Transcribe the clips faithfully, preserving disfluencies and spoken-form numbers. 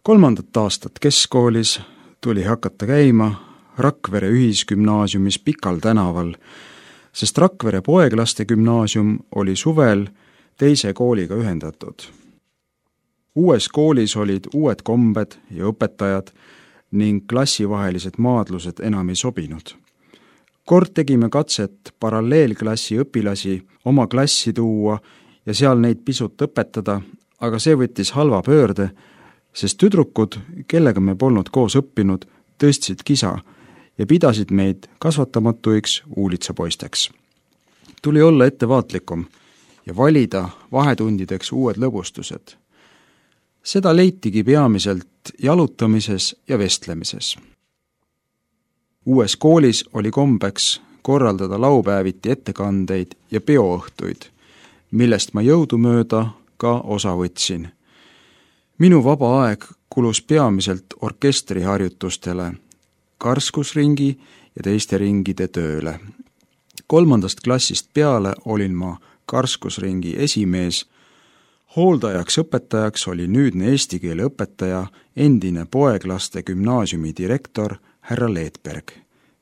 Kolmandat aastat keskkoolis tuli hakata käima Rakvere ühisgümnaasiumis Pikal tänaval, sest Rakvere poeglaste gümnaasium oli suvel teise kooliga ühendatud. Uues koolis olid uued kombed ja õpetajad ning klassivahelised maadlused enam ei sobinud. Kord tegime katset paralleelklassi õpilasi oma klassi tuua ja seal neid pisut õpetada, aga see võttis halva pöörde, sest tüdrukud, kellega me polnud koos õppinud, tõstsid kisa ja pidasid meid kasvatamatuiks uulitsapoisteks. Tuli olla ettevaatlikum ja valida vahetundideks uued lõbustused. Seda leitigi peamiselt jalutamises ja vestlemises. Uues koolis oli kombeks korraldada laupäeviti ettekandeid ja peoõhtuid, millest ma jõudumööda ka osa võtsin. Minu vaba aeg kulus peamiselt orkestriharjutustele, karskusringi ja teiste ringide tööle. Kolmandast klassist peale olin ma karskusringi esimees. Hooldajaks õpetajaks oli nüüdne eesti keele õpetaja, endine poeglaste gümnaasiumi direktor härra Leetberg.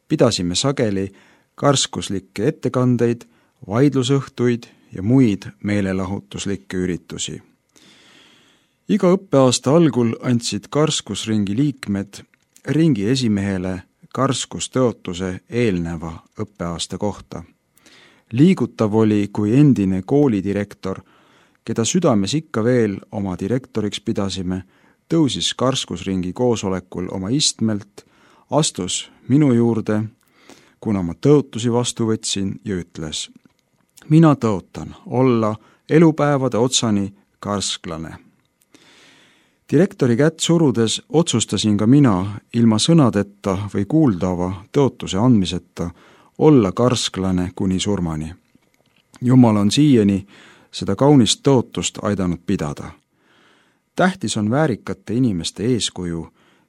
Pidasime sageli karskuslikke ettekandeid, vaidlusõhtuid ja muid meelelahutuslikke üritusi. Iga õppeaasta algul andsid karskusringi liikmed ringi esimehele karskustõotuse eelneva õppeaasta kohta. Liigutav oli, kui endine koolidirektor, keda südames ikka veel oma direktoriks pidasime, tõusis karskusringi koosolekul oma istmelt, astus minu juurde, kuna ma tõotusi vastu võtsin ja ütles: mina tõotan olla elupäevade otsani karsklane. Direktori kätt surudes otsustasin ka mina ilma sõnadeta või kuuldava tõotuse andmiseta olla karsklane kuni surmani. Jumal on siiani seda kaunist tõotust aidanud pidada. Tähtis on väärikate inimeste eeskuju,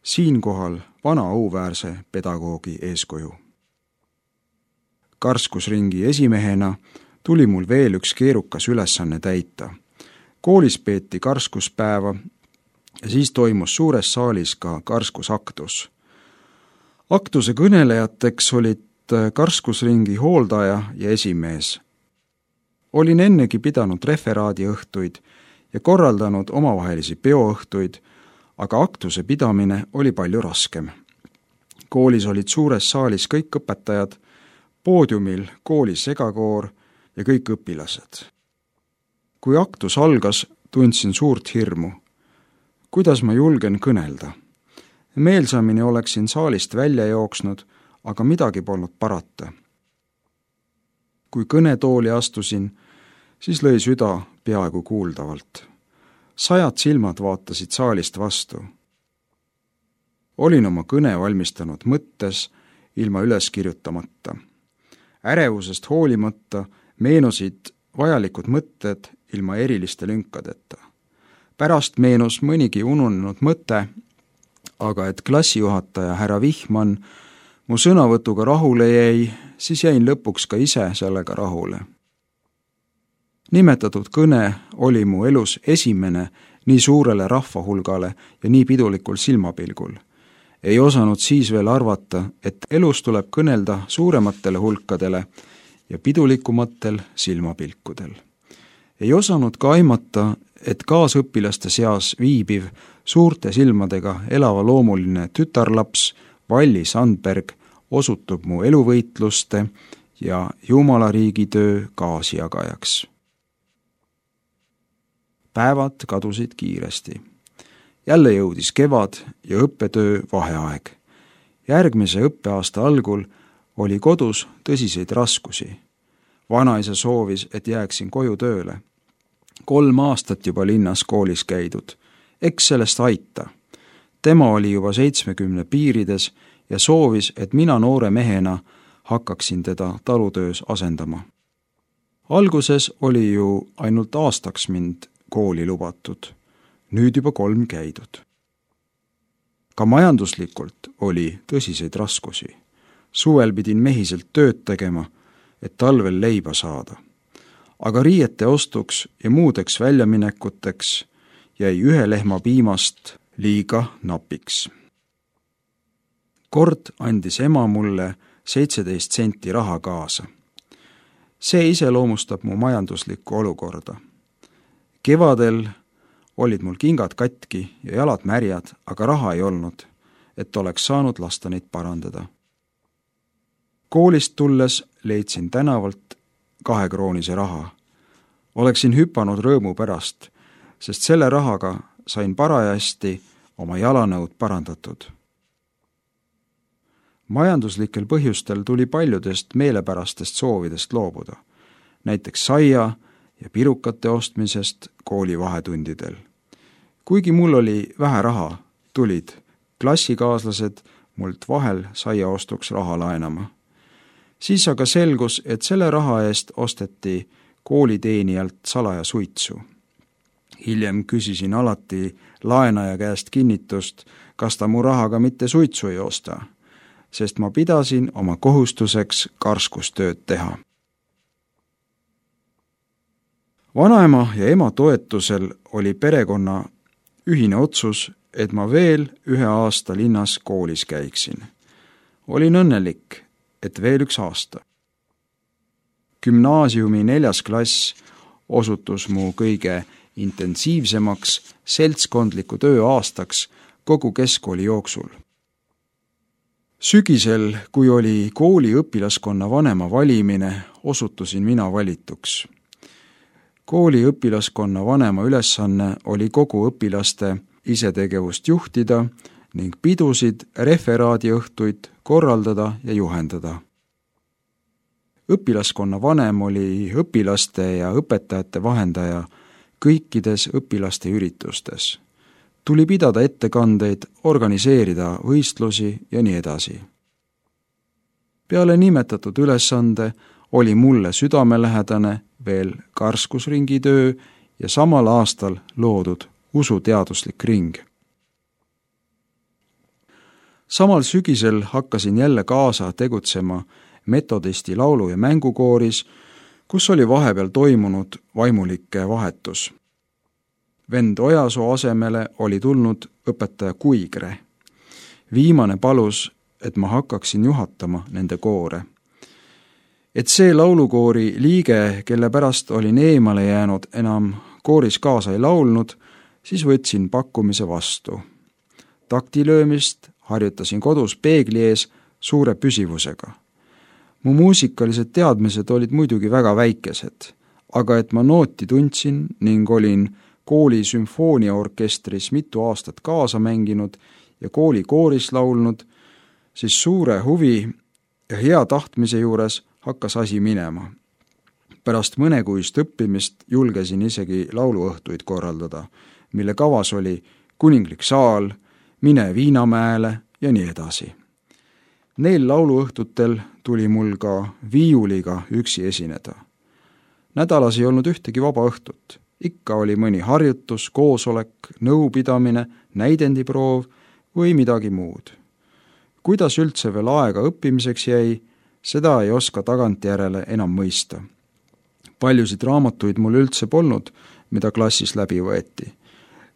siinkohal vana auväärse pedagoogi eeskuju. Karskusringi esimehena tuli mul veel üks keerukas ülesanne täita. Koolis peeti karskuspäeva ja siis toimus suures saalis ka karskusaktus. Aktuse kõnelejateks olid karskusringi hooldaja ja esimees. Olin ennegi pidanud referaadiõhtuid ja korraldanud omavahelisi peoõhtuid, aga aktuse pidamine oli palju raskem. Koolis olid suures saalis kõik õpetajad, poodiumil kooli segakoor ja kõik õpilased. Kui aktus algas, tundsin suurt hirmu. Kuidas ma julgen kõnelda? Meelsamini oleksin saalist välja jooksnud, aga midagi polnud parata. Kui kõnetooli astusin, siis lõi süda peaaegu kuuldavalt. Sajad silmad vaatasid saalist vastu. Olin oma kõne valmistanud mõttes ilma üles kirjutamata. Ärevusest hoolimata meenusid vajalikud mõtted ilma eriliste lünkadeta. Pärast meenus mõnigi ununenud mõte, aga et klassijuhataja härra Vihman mu sõnavõtuga rahule jäi, siis jäin lõpuks ka ise sellega rahule. Nimetatud kõne oli mu elus esimene nii suurele rahvahulgale ja nii pidulikul silmapilgul. Ei osanud siis veel arvata, et elus tuleb kõnelda suurematele hulkadele ja pidulikumatel silmapilkudel. Ei osanud ka aimata, et kaasõpilaste seas viibiv suurte silmadega elava loomuline tütarlaps Valli Sandberg osutub mu eluvõitluste ja Jumala riigitöö kaasjagajaks. Päevad kadusid kiiresti. Jälle jõudis kevad ja õppetöö vaheaeg. Järgmise õppeaasta algul oli kodus tõsiseid raskusi. Vanaisa soovis, et jääksin koju tööle. Kolm aastat juba linnas koolis käidud. Eks sellest aita. Tema oli juba seitsmekümne piirides ja soovis, et mina noore mehena hakkaksin teda talutöös asendama. Alguses oli ju ainult aastaks mind kooli lubatud. Nüüd juba kolm käidud. Ka majanduslikult oli tõsiseid raskusi. Suvel pidin mehiselt tööd tegema, et talvel leiba saada. Aga riiete ostuks ja muudeks väljaminekuteks jäi ühe lehma piimast liiga napiks. Kord andis ema mulle seitseteist senti raha kaasa. See iseloomustab mu majanduslikku olukorda. Kevadel olid mul kingad katki ja jalad märjad, aga raha ei olnud, et oleks saanud lasta neid parandada. Koolist tulles leidsin tänavalt kahekroonise raha. Oleksin hüpanud rõõmu pärast, sest selle rahaga sain parajasti oma jalanõud parandatud. Majanduslikel põhjustel tuli paljudest meelepärastest soovidest loobuda, näiteks saia ja pirukate ostmisest kooli vahetundidel. Kuigi mul oli vähe raha, tulid klassikaaslased mult vahel saia ostuks raha laenama. Siis aga selgus, et selle raha eest osteti kooliteenijalt salaja suitsu. Hiljem küsisin alati laenaja käest kinnitust, kas ta mu rahaga mitte suitsu ei osta, sest ma pidasin oma kohustuseks karskustööd teha. Vanaema ja ema toetusel oli perekonna ühine otsus, et ma veel ühe aasta linnas koolis käiksin. Olin õnnelik, et veel üks aasta. Gümnaasiumi neljas klass osutus mu kõige intensiivsemaks seltskondliku töö aastaks kogu keskkooli jooksul. Sügisel, kui oli kooli õpilaskonna vanema valimine, osutusin mina valituks. Kooli õpilaskonna vanema ülesanne oli kogu õpilaste isetegevust juhtida ning pidusid referaadiõhtuid korraldada ja juhendada. Õpilaskonna vanem oli õpilaste ja õpetajate vahendaja kõikides õpilaste üritustes. Tuli pidada ettekandeid, organiseerida võistlusi ja nii edasi. Peale nimetatud ülesande oli mulle südamelähedane veel karskusringi töö ja samal aastal loodud usuteaduslik ring. Samal sügisel hakkasin jälle kaasa tegutsema metodisti laulu- ja mängukooris, kus oli vahepeal toimunud vaimulike vahetus. Vend Ojasoo asemele oli tulnud õpetaja Kuigre. Viimane palus, et ma hakkaksin juhatama nende koore. Et see laulukoori liige, kelle pärast olin eemale jäänud, enam kooris kaasa ei laulnud, siis võtsin pakkumise vastu. Taktilöömist harjutasin kodus peegli ees suure püsivusega. Mu muusikalised teadmised olid muidugi väga väikesed, aga et ma nooti tundsin ning olin kooli sümfooniaorkestris mitu aastat kaasa mänginud ja kooli kooris laulnud, siis suure huvi ja hea tahtmise juures hakkas asi minema. Pärast mõnekuist õppimist julgesin isegi lauluõhtuid korraldada, mille kavas oli Kuninglik saal, Mine Viinamäele ja nii edasi. Neil lauluõhtutel tuli mul ka viiuliga üksi esineda. Nädalas ei olnud ühtegi vaba õhtut. Ikka oli mõni harjutus, koosolek, nõupidamine, näidendiproov või midagi muud. Kuidas üldse veel aega õppimiseks jäi, seda ei oska tagantjärele enam mõista. Paljusid raamatuid mul üldse polnud, mida klassis läbi võeti.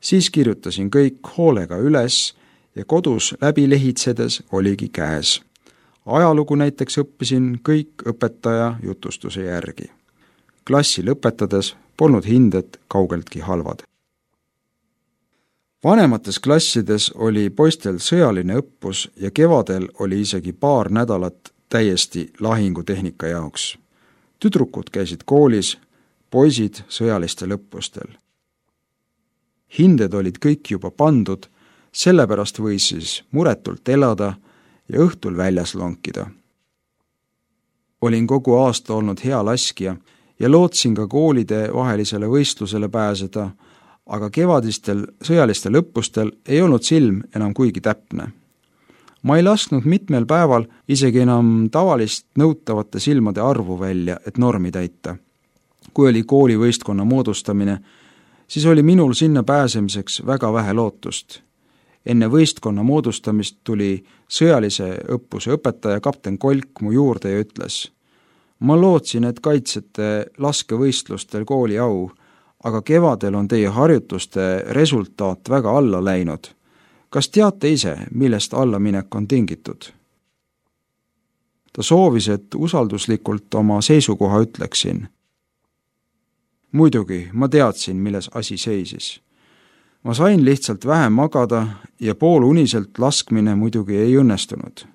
Siis kirjutasin kõik hoolega üles ja kodus läbi lehitsedes oligi käes. Ajalugu näiteks õppisin kõik õpetaja jutustuse järgi. Klassi lõpetades polnud hinded kaugeltki halvad. Vanemates klassides oli poistel sõjaline õppus ja kevadel oli isegi paar nädalat täiesti lahingutehnika jaoks. Tüdrukud käisid koolis, poisid sõjalistel õppustel. Hinded olid kõik juba pandud, sellepärast võis siis muretult elada ja õhtul väljas lonkida. Olin kogu aasta olnud hea laskja ja lootsin ka koolide vahelisele võistlusele pääseda, aga kevadistel sõjalistel õppustel ei olnud silm enam kuigi täpne. Ma ei lasknud mitmel päeval isegi enam tavalist nõutavate silmade arvu välja, et normi täita. Kui oli kooli võistkonna moodustamine, siis oli minul sinna pääsemiseks väga vähe lootust. Enne võistkonna moodustamist tuli sõjalise õppuse õpetaja kapten Kolk mu juurde ja ütles: ma lootsin, et kaitsete laskevõistlustel kooli au, aga kevadel on teie harjutuste resultaat väga alla läinud. kas teate ise, millest allaminek on tingitud? Ta soovis, et usalduslikult oma seisukoha ütleksin. Muidugi, ma teadsin, milles asi seisis. Ma sain lihtsalt vähem magada ja pooluniselt laskmine muidugi ei õnnestunud.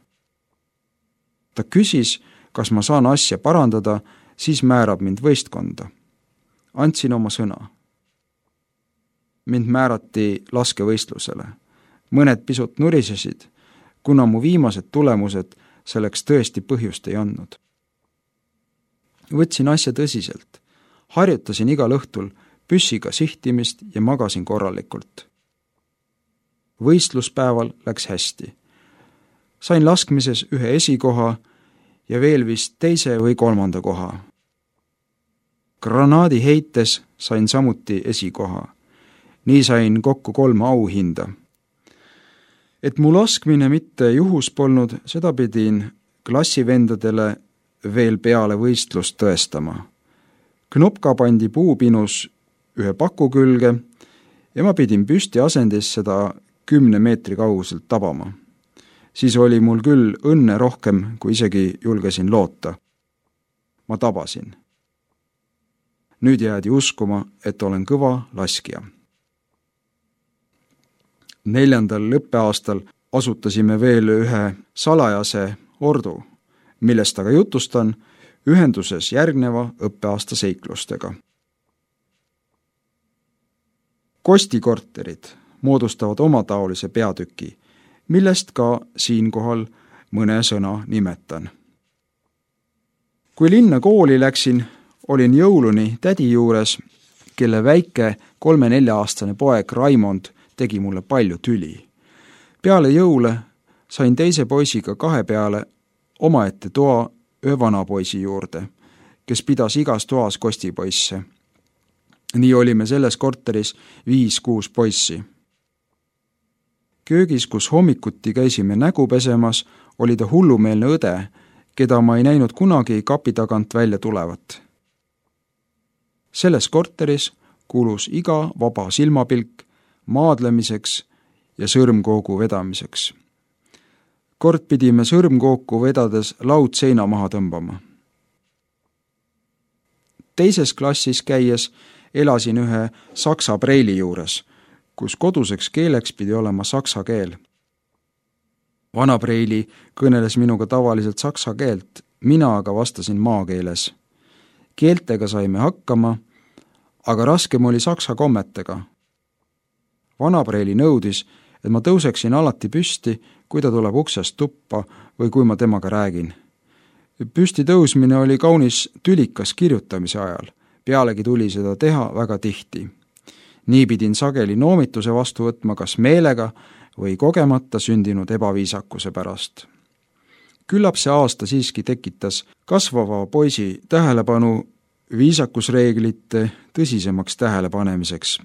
Ta küsis, kas ma saan asja parandada, siis määrab mind võistkonda. Andsin oma sõna. Mind määrati laskevõistlusele. Mõned pisut nurisesid, kuna mu viimased tulemused selleks tõesti põhjust ei andnud. Võtsin asja tõsiselt. Harjutasin igal õhtul püssiga sihtimist ja magasin korralikult. Võistluspäeval läks hästi. Sain laskmises ühe esikoha ja veel vist teise või kolmanda koha. Granaadi heites sain samuti esikoha. Nii sain kokku kolm auhinda. Et mu laskmine mitte juhus polnud, seda pidin klassivendadele veel peale võistlust tõestama. Knopka pandi puupinus ühe paku külge ja ma pidin püsti asendis seda kümne meetri kauguselt tabama. Siis oli mul küll õnne rohkem, kui isegi julgesin loota. Ma tabasin. Nüüd jäädi uskuma, et olen kõva laskja. Neljandal lõppeaastal asutasime veel ühe salajase ordu, millest aga jutustan ühenduses järgneva õppeaasta seiklustega. Kostikorterid moodustavad omataolise peatüki, millest ka siinkohal mõne sõna nimetan. Kui linna kooli läksin, olin jõuluni tädi juures, kelle väike kolme-nelja-aastane poeg Raimond tegi mulle palju tüli. Peale jõule sain teise poisiga kahe peale omaette toa ühe vanapoisi juurde, kes pidas igas toas kostipoisse. Nii olime selles korteris viis-kuus poissi. Köögis, kus hommikuti käisime nägu pesemas, oli ta hullumeelne õde, keda ma ei näinud kunagi kapi tagant välja tulevat. Selles korteris kulus iga vaba silmapilk maadlemiseks ja sõrmkoogu vedamiseks. Kord pidime sõrmkooku vedades laud seina maha tõmbama. Teises klassis käies elasin ühe saksa preili juures, kus koduseks keeleks pidi olema saksa keel. Vana preili kõneles minuga tavaliselt saksa keelt, mina aga vastasin maakeeles. Keeltega saime hakkama, aga raskem oli saksa kommetega. Vana preili nõudis, et ma tõuseksin alati püsti, kui ta tuleb uksest tuppa või kui ma temaga räägin. Püsti tõusmine oli kaunis tülikas kirjutamise ajal, pealegi tuli seda teha väga tihti. Nii pidin sageli noomituse vastu võtma kas meelega või kogemata sündinud ebaviisakuse pärast. Küllap see aasta siiski tekitas kasvava poisi tähelepanu viisakusreeglite tõsisemaks tähelepanemiseks.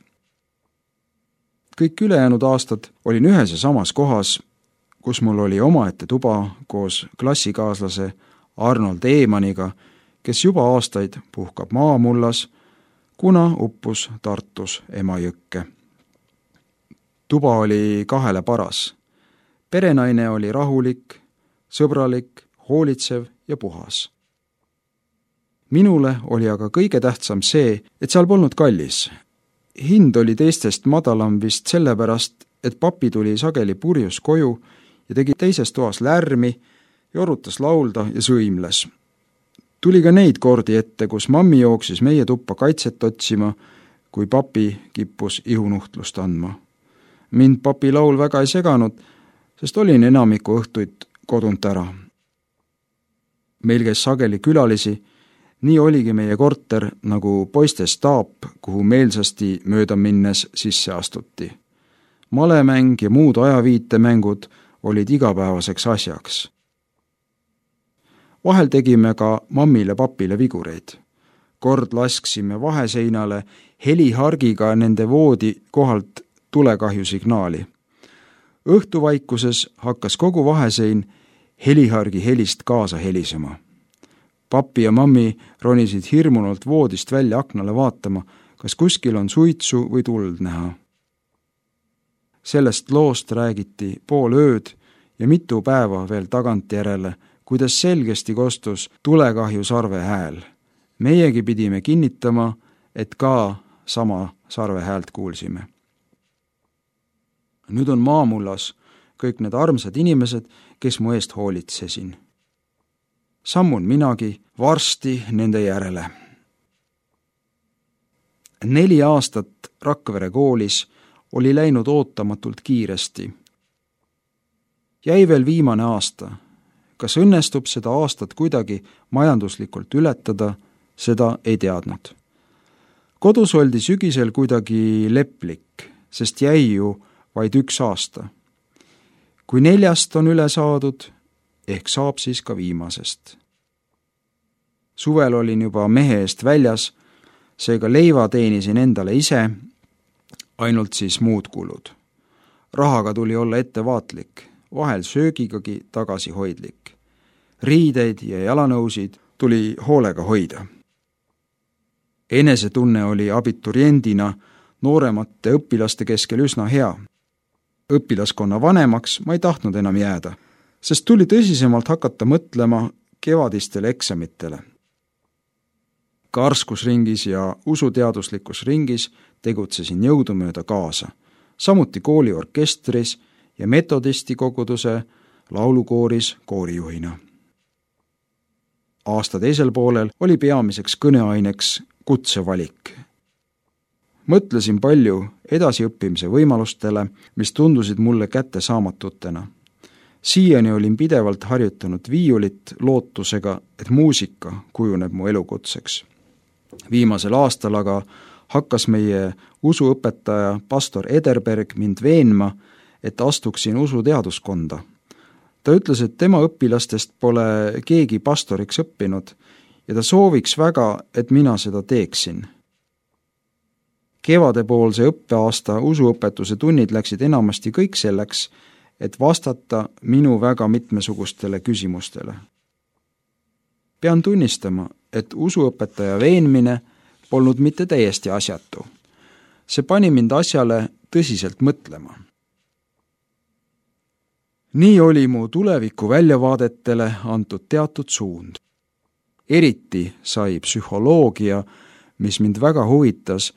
Kõik ülejäänud aastad olin ühes ja samas kohas, kus mul oli omaette tuba koos klassikaaslase Arnold Eemaniga, kes juba aastaid puhkab maamullas, kuna uppus Tartus Emajõkke. Tuba oli kahele paras. Perenaine oli rahulik, sõbralik, hoolitsev ja puhas. Minule oli aga kõige tähtsam see, et seal polnud kallis. Hind oli teistest madalam vist sellepärast, et papi tuli sageli purjus koju ja tegi teises toas lärmi, jorutas laulda ja sõimles. Tuli ka neid kordi ette, kus mammi jooksis meie tuppa kaitset otsima, kui papi kippus ihunuhtlust andma. Mind papi laul väga ei seganud, sest olin enamiku õhtuid kodunt ära. Meil käis sageli külalisi, nii oligi meie korter nagu poiste staap, kuhu meelsasti mööda minnes sisse astuti. Malemäng ja muud ajaviitemängud olid igapäevaseks asjaks. Vahel tegime ka mammile papile vigureid. Kord lasksime vaheseinale helihargiga nende voodi kohalt tulekahju signaali. Õhtuvaikuses hakkas kogu vahesein helihargi helist kaasa helisema. Papi ja mammi ronisid hirmunult voodist välja aknale vaatama, kas kuskil on suitsu või tuld näha. Sellest loost räägiti pool ööd ja mitu päeva veel tagantjärele, kuidas selgesti kostus tulekahju sarve hääl. Meiegi pidime kinnitama, et ka sama sarve häält kuulsime. Nüüd on maamullas kõik need armsad inimesed, kes mu eest hoolitsesin. Sammun minagi varsti nende järele. Neli aastat Rakvere koolis oli läinud ootamatult kiiresti. Jäi veel viimane aasta. Kas õnnestub seda aastat kuidagi majanduslikult ületada, seda ei teadnud. Kodus oldi sügisel kuidagi leplik, sest jäi ju vaid üks aasta. Kui neljast on üle saadud, ehk saab siis ka viimasest. Suvel olin juba mehe eest väljas, seega leiva teenisin endale ise, ainult siis muud kulud. Rahaga tuli olla ettevaatlik, vahel söögigagi tagasihoidlik. Riideid ja jalanõusid tuli hoolega hoida. Enesetunne oli abituriendina nooremate õpilaste keskel üsna hea. Õpilaskonna vanemaks ma ei tahtnud enam jääda, sest tuli tõsisemalt hakata mõtlema kevadistele eksamitele. Karskusringis ja usuteaduslikus ringis tegutsesin jõudumööda kaasa, samuti kooliorkestris ja metodisti koguduse laulukooris koorijuhina. Aasta teisel poolel oli peamiseks kõneaineks kutsevalik. Mõtlesin palju edasiõppimise võimalustele, mis tundusid mulle kättesaamatutena. Siiani olin pidevalt harjutanud viiulit lootusega, et muusika kujuneb mu elukutseks. Viimasel aastal aga hakkas meie usuõpetaja pastor Ederberg mind veenma, et astuksin usuteaduskonda. Ta ütles, et tema õpilastest pole keegi pastoriks õppinud ja ta sooviks väga, et mina seda teeksin. Kevadepoolse õppeaasta usuõpetuse tunnid läksid enamasti kõik selleks, et vastata minu väga mitmesugustele küsimustele. Pean tunnistama, et usuõpetaja veenmine polnud mitte täiesti asjatu. See pani mind asjale tõsiselt mõtlema. Nii oli mu tuleviku väljavaadetele antud teatud suund. Eriti sai psühholoogia, mis mind väga huvitas,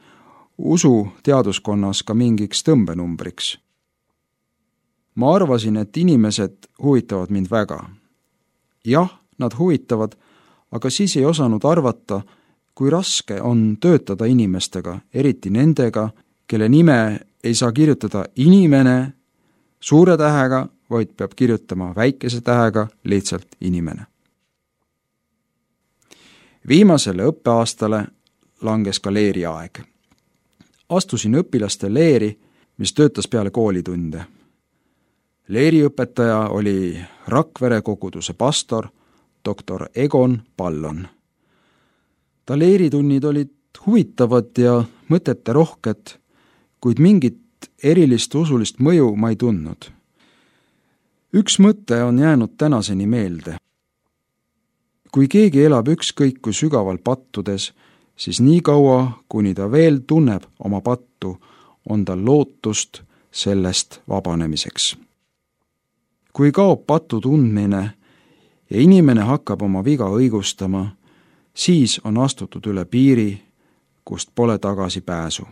usu teaduskonnas ka mingiks tõmbenumbriks. Ma arvasin, et inimesed huvitavad mind väga. Jah, nad huvitavad, aga siis ei osanud arvata, kui raske on töötada inimestega, eriti nendega, kelle nime ei saa kirjutada inimene suure tähega, vaid peab kirjutama väikese tähega lihtsalt inimene. Viimasele õppeaastale langes ka leeriaeg. Astusin õpilaste leeri, mis töötas peale koolitunde. Leeriõpetaja oli Rakvere koguduse pastor, doktor Egon Pallon. Ta leeritunnid olid huvitavad ja mõtete rohked, kuid mingit erilist usulist mõju ma ei tundnud. Üks mõte on jäänud tänaseni meelde. Kui keegi elab ükskõik kui sügaval pattudes, siis nii kaua, kuni ta veel tunneb oma pattu, on tal lootust sellest vabanemiseks. Kui kaob patu tundmine ja inimene hakkab oma viga õigustama, siis on astutud üle piiri, kust pole tagasi pääsu.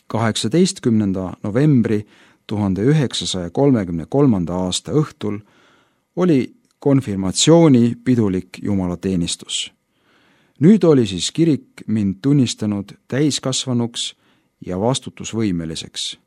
kaheksateistkümnenda novembri tuhande üheksasaja kolmekümne kolmanda aasta õhtul oli konfirmatsiooni pidulik jumalateenistus. Nüüd oli siis kirik mind tunnistanud täiskasvanuks ja vastutusvõimeliseks.